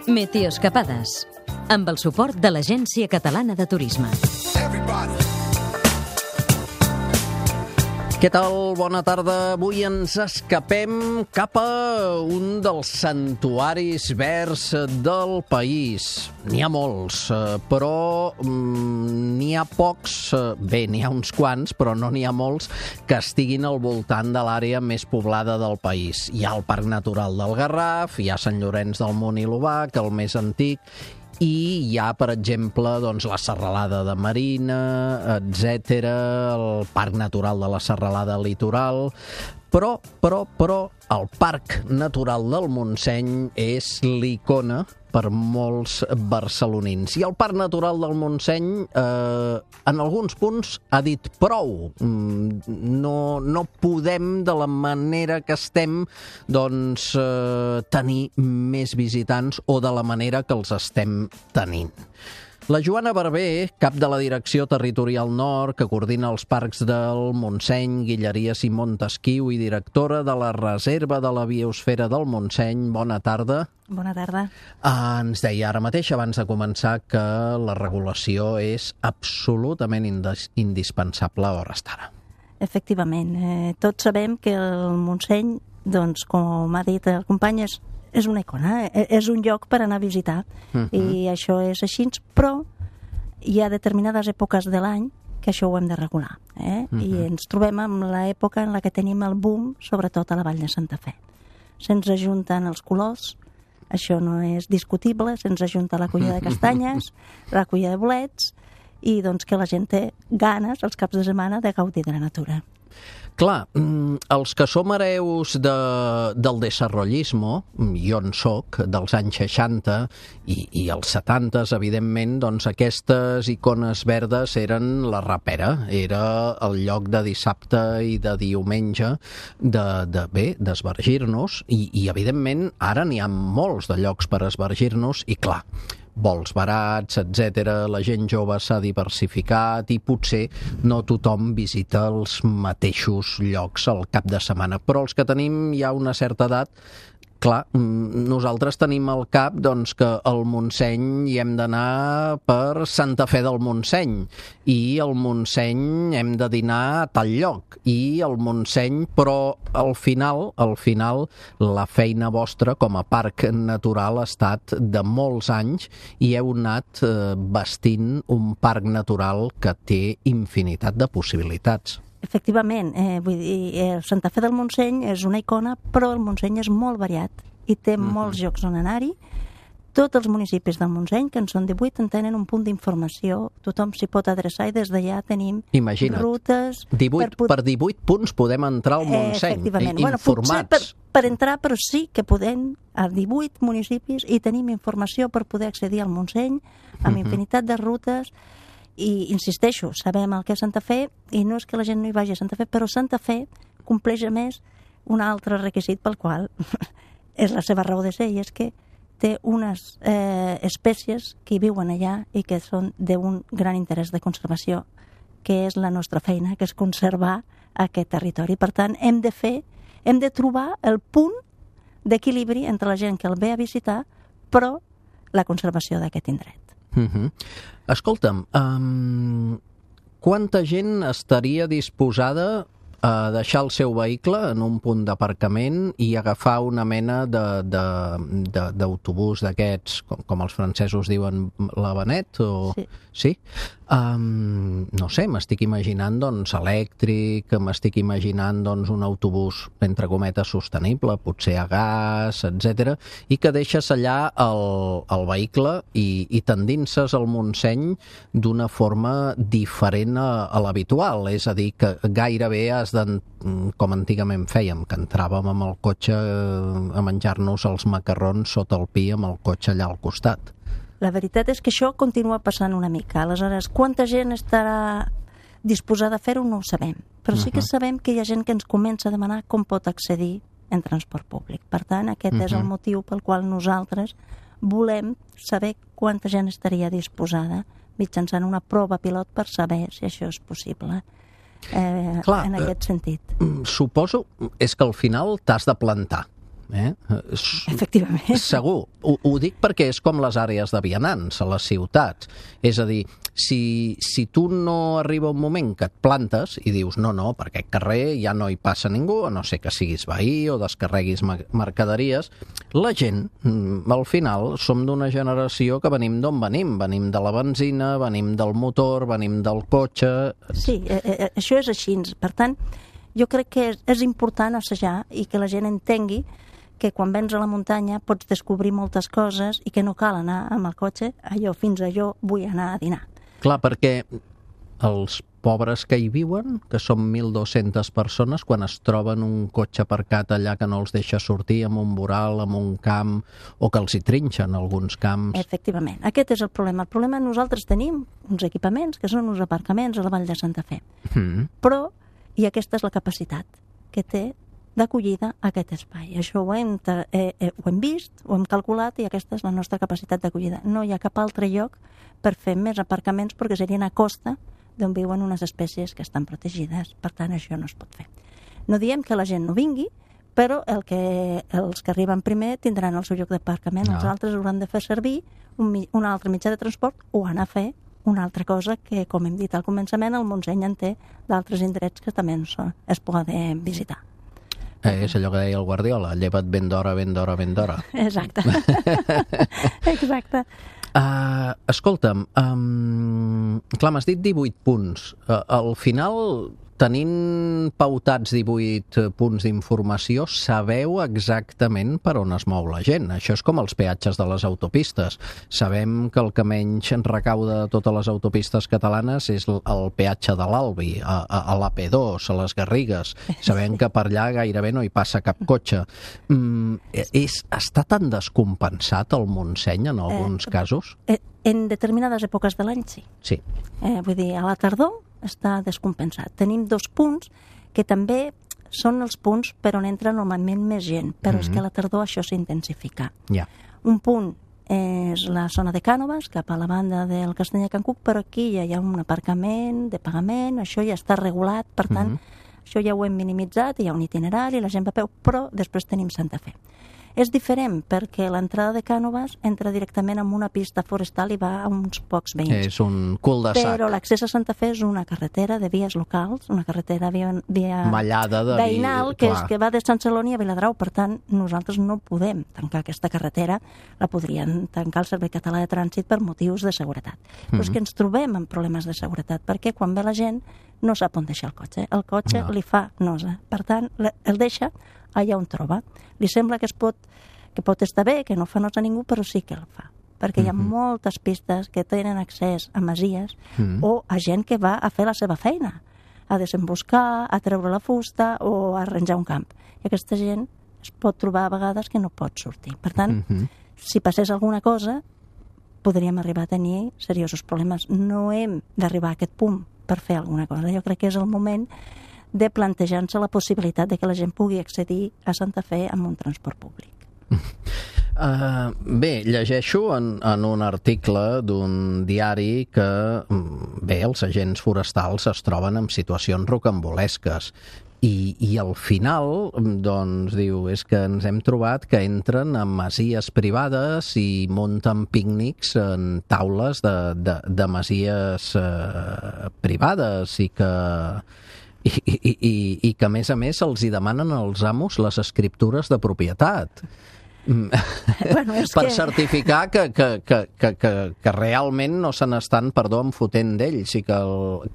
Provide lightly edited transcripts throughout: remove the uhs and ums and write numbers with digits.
Meteoescapades, amb el suport de l'Agència Catalana de Turisme. Què tal? Bona tarda. Avui ens escapem cap a un dels santuaris verds del país. N'hi ha molts, però n'hi ha pocs, bé, n'hi ha uns quants, però no n'hi ha molts que estiguin al voltant de l'àrea més poblada del país. Hi ha el Parc Natural del Garraf, hi ha Sant Llorenç del Munt i l'Obac, el més antic, i hi ha, per exemple, doncs, la Serralada de Marina, etc., el Parc Natural de la Serralada Litoral, però el Parc Natural del Montseny és l'icona per molts barcelonins. I el Parc Natural del Montseny, en alguns punts, ha dit prou. No podem, de la manera que estem, doncs, tenir més visitants o de la manera que els estem tenint. La Joana Barber, cap de la Direcció Territorial Nord, que coordina els parcs del Montseny, Guilleries i Montesquiu i directora de la Reserva de la Biosfera del Montseny. Bona tarda. Bona tarda. Ens deia ara mateix, abans de començar, que la regulació és absolutament indispensable a hores d'ara. Efectivament. Tots sabem que el Montseny, doncs, com ha dit el company, és una icona, és un lloc per anar a visitar, i això és així, però hi ha determinades èpoques de l'any que això ho hem de regular, i ens trobem amb l'època en la que tenim el boom, sobretot a la Vall de Santa Fe. Se'ns ajunten els colors, això no és discutible, se'ns ajunta la colla de castanyes, la colla de bolets, i doncs que la gent té ganes els caps de setmana de gaudir de la natura. Clar, els que som hereus del desarrollismo, jo en soc, dels anys 60 i els 70, evidentment, doncs aquestes icones verdes eren la rapera, era el lloc de dissabte i de diumenge d'esvergir-nos, i evidentment ara n'hi ha molts de llocs per esvergir-nos, i clar, vols barats, etc. La gent jove s'ha diversificat i potser no tothom visita els mateixos llocs al cap de setmana. Però els que tenim ja una certa edat, clar, nosaltres tenim al cap doncs, que al Montseny hi hem d'anar per Santa Fe del Montseny, i al Montseny hem de dinar a tal lloc, i al Montseny, però al final, la feina vostra com a parc natural ha estat de molts anys i heu anat vestint un parc natural que té infinitat de possibilitats. Efectivament, vull dir, Santa Fe del Montseny és una icona, però el Montseny és molt variat i té molts llocs on anar-hi. Tots els municipis del Montseny, que en són 18, en tenen un punt d'informació, tothom s'hi pot adreçar i des d'allà tenim rutes... 18, per 18 punts podem entrar al Montseny, informats. Potser per entrar, però sí que podem a 18 municipis i tenim informació per poder accedir al Montseny amb infinitat de rutes. I insisteixo, sabem el que és Santa Fe i no és que la gent no hi vagi a Santa Fe, però Santa Fe compleix a més un altre requisit pel qual és la seva raó de ser, i és que té unes espècies que hi viuen allà i que són d'un gran interès de conservació, que és la nostra feina, que és conservar aquest territori. Per tant, hem de trobar el punt d'equilibri entre la gent que el ve a visitar, però la conservació d'aquest indret. Escolta'm, quanta gent estaria disposada a deixar el seu vehicle en un punt d'aparcament i agafar una mena d'autobús d'aquests, com els francesos diuen, la Benet? Sí? No sé, m'estic imaginant doncs elèctric, m'estic imaginant doncs un autobús entre cometes sostenible, potser a gas, etc, i que deixes allà el vehicle i t'endinses al Montseny d'una forma diferent a l'habitual, és a dir, que gairebé has com antigament fèiem, que entràvem amb el cotxe a menjar-nos els macarrons sota el pi amb el cotxe allà al costat. La veritat és que això continua passant una mica. Aleshores, quanta gent estarà disposada a fer-ho no ho sabem. Però sí que sabem que hi ha gent que ens comença a demanar com pot accedir en transport públic. Per tant, aquest és el motiu pel qual nosaltres volem saber quanta gent estaria disposada mitjançant una prova pilot per saber si això és possible. En aquest sentit. Suposo és que al final t'has de plantar. Efectivament. Segur. Ho dic perquè és com les àrees de vianants a les ciutats. És a dir, si tu no arriba un moment que et plantes i dius no, per aquest carrer ja no hi passa ningú, a no ser que siguis veí o descarreguis mercaderies, la gent, al final, som d'una generació que venim d'on venim. Venim de la benzina, venim del motor, venim del cotxe... Sí, això és així. Per tant, jo crec que és important assajar i que la gent entengui que quan vens a la muntanya pots descobrir moltes coses i que no cal anar amb el cotxe fins a allò vull anar a dinar. Clar, perquè els pobres que hi viuen, que són 1.200 persones, quan es troben un cotxe aparcat allà que no els deixa sortir amb un voral, amb un camp, o que els hi trinxen alguns camps... Efectivament, aquest és el problema. El problema nosaltres tenim uns equipaments que són uns aparcaments a la Vall de Santa Fe. Però, i aquesta és la capacitat que té d'acollida a aquest espai. Això ho hem vist, ho hem calculat i aquesta és la nostra capacitat d'acollida. No hi ha cap altre lloc per fer més aparcaments perquè serien a costa d'on viuen unes espècies que estan protegides. Per tant, això no es pot fer. No diem que la gent no vingui, però els que arriben primer tindran el seu lloc d'aparcament, els altres hauran de fer servir un altre mitjà de transport o anar a fer una altra cosa que, com hem dit al començament, el Montseny en té d'altres indrets que també es poden visitar. És allò que deia el Guardiola, lleva't ben d'hora, ben d'hora, ben d'hora. Exacte. Exacte. Escolta'm, clar, m'has dit 18 punts. Al final, tenint pautats 18 punts d'informació, sabeu exactament per on es mou la gent. Això és com els peatges de les autopistes. Sabem que el que menys recauda de totes les autopistes catalanes és el peatge de l'Albi, a l'AP2, a les Garrigues. Sabem que per allà gairebé no hi passa cap cotxe. Està tan descompensat el Montseny en alguns casos? En determinades èpoques de l'any, sí. Sí. Vull dir, a la tardor està descompensat. Tenim 2 punts que també són els punts per on entra normalment més gent, però és que a la tardor això s'intensifica. Un punt és la zona de Cànoves, cap a la banda del Castell de Can Cuc, però aquí ja hi ha un aparcament de pagament, això ja està regulat, per tant, això ja ho hem minimitzat, hi ha un itinerari, la gent va a peu, però després tenim Santa Fe. És diferent perquè l'entrada de Cànoves entra directament en una pista forestal i va a uns pocs veïns. És un cul de sac. Però l'accés a Santa Fe és una carretera de vies locals, una carretera via mallada de veïnal, que va de Sant Celoni a Viladrau. Per tant, nosaltres no podem tancar aquesta carretera, la podrien tancar el Servei Català de Trànsit per motius de seguretat. Però és que ens trobem amb problemes de seguretat, perquè quan ve la gent no sap on deixar el cotxe. El cotxe li fa nosa. Per tant, el deixa allà on troba. Li sembla que pot estar bé, que no fa nosa a ningú, però sí que el fa. Perquè hi ha moltes pistes que tenen accés a masies o a gent que va a fer la seva feina, a desemboscar, a treure la fusta o a arranjar un camp. I aquesta gent es pot trobar a vegades que no pot sortir. Per tant, si passés alguna cosa, podríem arribar a tenir seriosos problemes. No hem d'arribar a aquest punt per fer alguna cosa. Jo crec que és el moment de plantejar-se la possibilitat de que la gent pugui accedir a Santa Fe amb un transport públic. Bé, llegeixo en un article d'un diari que els agents forestals es troben en situacions rocambolesques i al final doncs diu, és que ens hem trobat que entren en masies privades i munten pícnics en taules de masies privades i que a més els hi demanen als amos les escriptures de propietat. Per certificar que realment no se n'estan, enfotent d'ells i que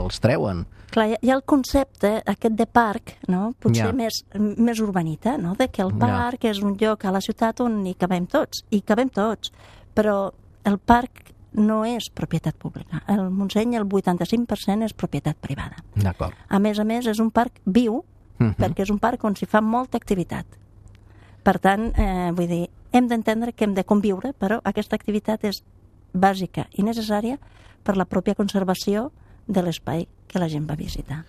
els treuen. Clar, hi ha el concepte aquest de parc, no? Potser més urbanita, no? De que el parc és un lloc a la ciutat on hi cabem tots, però el parc no és propietat pública. El Montseny, el 85% és propietat privada. D'acord. A més, és un parc viu, perquè és un parc on s'hi fa molta activitat. Per tant, vull dir, hem d'entendre que hem de conviure, però aquesta activitat és bàsica i necessària per la pròpia conservació de l'espai que la gent va visitar.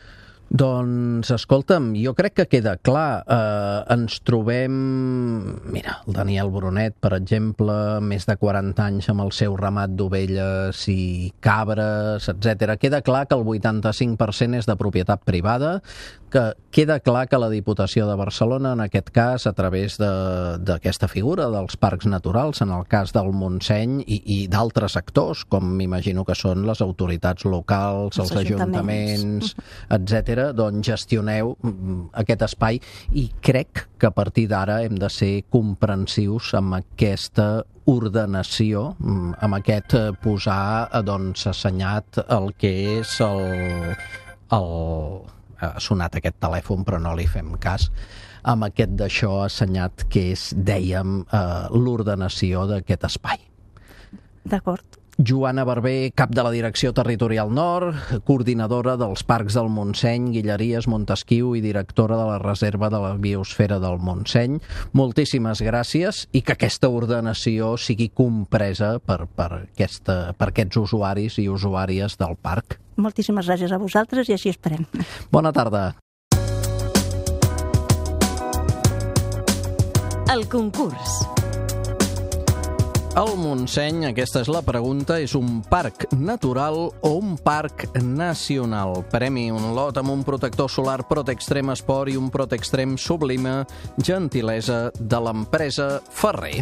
Doncs, escolta'm, jo crec que queda clar. Ens trobem... Mira, el Daniel Brunet, per exemple, més de 40 anys amb el seu ramat d'ovelles i cabres, etc. Queda clar que el 85% és de propietat privada. que queda clar que la Diputació de Barcelona, en aquest cas, a través d'aquesta figura dels parcs naturals, en el cas del Montseny i d'altres actors, com m'imagino que són les autoritats locals, els ajuntaments, etc., doncs gestioneu aquest espai i crec que a partir d'ara hem de ser comprensius amb aquesta ordenació, amb aquest posar assenyat el que és ha sonat aquest telèfon però no li fem cas, amb aquest d'això assenyat que és, dèiem, l'ordenació d'aquest espai. D'acord. Joana Barber, cap de la Direcció Territorial Nord, coordinadora dels Parcs del Montseny, Guilleries, Montesquiu i directora de la Reserva de la Biosfera del Montseny. Moltíssimes gràcies i que aquesta ordenació sigui compresa per aquests usuaris i usuàries del parc. Moltíssimes gràcies a vosaltres i així esperem. Bona tarda. El concurs. El Montseny, aquesta és la pregunta, és un parc natural o un parc nacional? Premi un lot amb un protector solar Protextrem Esport i un Protextrem Sublime, gentilesa de l'empresa Ferrer.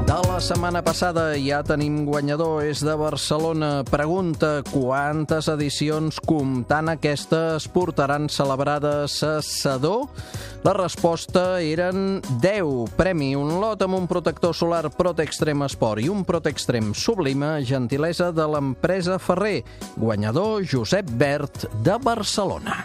De la setmana passada ja tenim guanyador, és de Barcelona. Pregunta: quantes edicions, comptant aquesta, es portaran celebrades a Sedó? La resposta eren 10. Premi un lot amb un protector solar Protextrem Esport i un Protextrem Sublime, gentilesa de l'empresa Ferrer. Guanyador Josep Bert, de Barcelona.